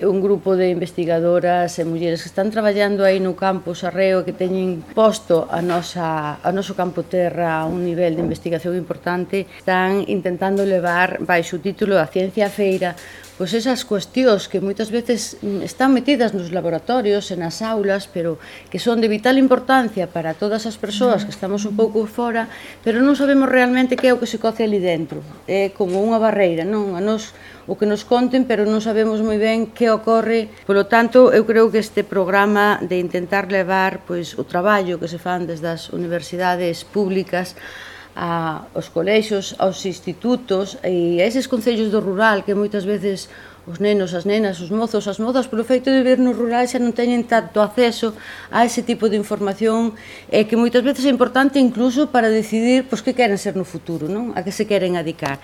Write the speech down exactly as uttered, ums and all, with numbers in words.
Un grupo de investigadoras e mulleres que están traballando aí no campo Sarreo, que teñen posto a nosa, a noso campo terra a un nivel de investigación importante, están intentando levar baixo o título A Ciencia Feira pois esas cuestións que moitas veces están metidas nos laboratorios e nas aulas, pero que son de vital importancia para todas as persoas que estamos un pouco fora, pero non sabemos realmente que é o que se coce ali dentro. É como unha barreira, non? A nos, o que nos conten, pero non sabemos moi ben que ocorre. Polo tanto, eu creo que este programa de intentar levar pois, o traballo que se fan desde as universidades públicas aos colexios, aos institutos e a eses concellos do rural que moitas veces os nenos, as nenas, os mozos, as mozas, polo feito de vir no rural xa non teñen tanto acceso a ese tipo de información e que moitas veces é importante incluso para decidir pois, que queren ser no futuro, non? A que se queren adicar.